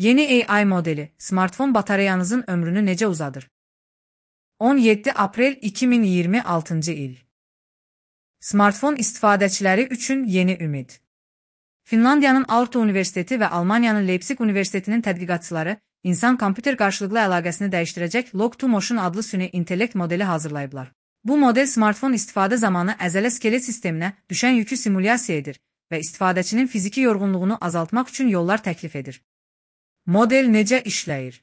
Yeni AI modeli, smartfon batareyanızın ömrünü necə uzadır? 17 aprel 2026 il. Smartfon istifadəçiləri üçün yeni ümid. Finlandiyanın Aalto Universiteti və Almaniyanın Leipzig Universitetinin tədqiqatçıları insan-kompüter qarşılıqlı əlaqəsini dəyişdirəcək Log2Motion adlı süni intellekt modeli hazırlayıblar. Bu model smartfon istifadə zamanı əzələ-skelet sisteminə düşən yükü simulyasiya edir və istifadəçinin fiziki yorğunluğunu azaltmaq üçün yollar təklif edir. Model necə işləyir?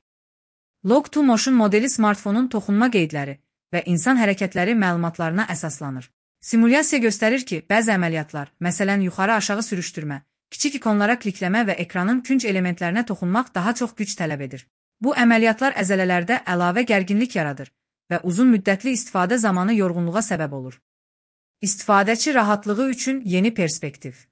Log2Motion modeli smartfonun toxunma qeydləri və insan hərəkətləri məlumatlarına əsaslanır. Simulyasiya göstərir ki, bəzi əməliyyatlar, məsələn yuxarı-aşağı sürüşdürmə, kiçik ikonlara klikləmə və ekranın künc elementlərinə toxunmaq daha çox güc tələb edir. Bu əməliyyatlar əzələlərdə əlavə gərginlik yaradır və uzun müddətli istifadə zamanı yorğunluğa səbəb olur. İstifadəçi rahatlığı üçün yeni perspektiv.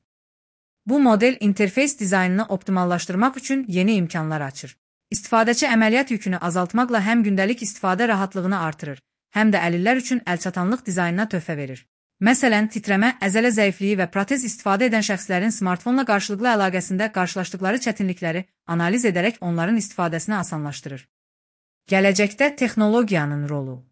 Bu model interfeys dizaynını optimallaşdırmaq üçün yeni imkanlar açır. İstifadəçi əməliyyat yükünü azaltmaqla həm gündəlik istifadə rahatlığını artırır, həm də əlillər üçün əlçatanlıq dizaynına töhfə verir. Məsələn, titrəmə, əzələ zəifliyi və protez istifadə edən şəxslərin smartfonla qarşılıqlı əlaqəsində qarşılaşdıqları çətinlikləri analiz edərək onların istifadəsini asanlaşdırır. Gələcəkdə texnologiyanın rolu.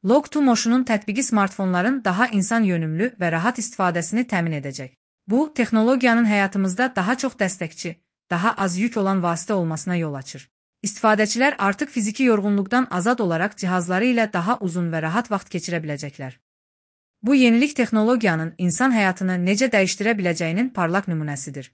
Log2Motion'un tətbiqi smartfonların daha insan yönümlü və rahat istifadəsini təmin edəcək. Bu, texnologiyanın həyatımızda daha çox dəstəkçi, daha az yük olan vasitə olmasına yol açır. İstifadəçilər artıq fiziki yorğunluqdan azad olaraq cihazları ilə daha uzun və rahat vaxt keçirə biləcəklər. Bu yenilik texnologiyanın insan həyatını necə dəyişdirə biləcəyinin parlaq nümunəsidir.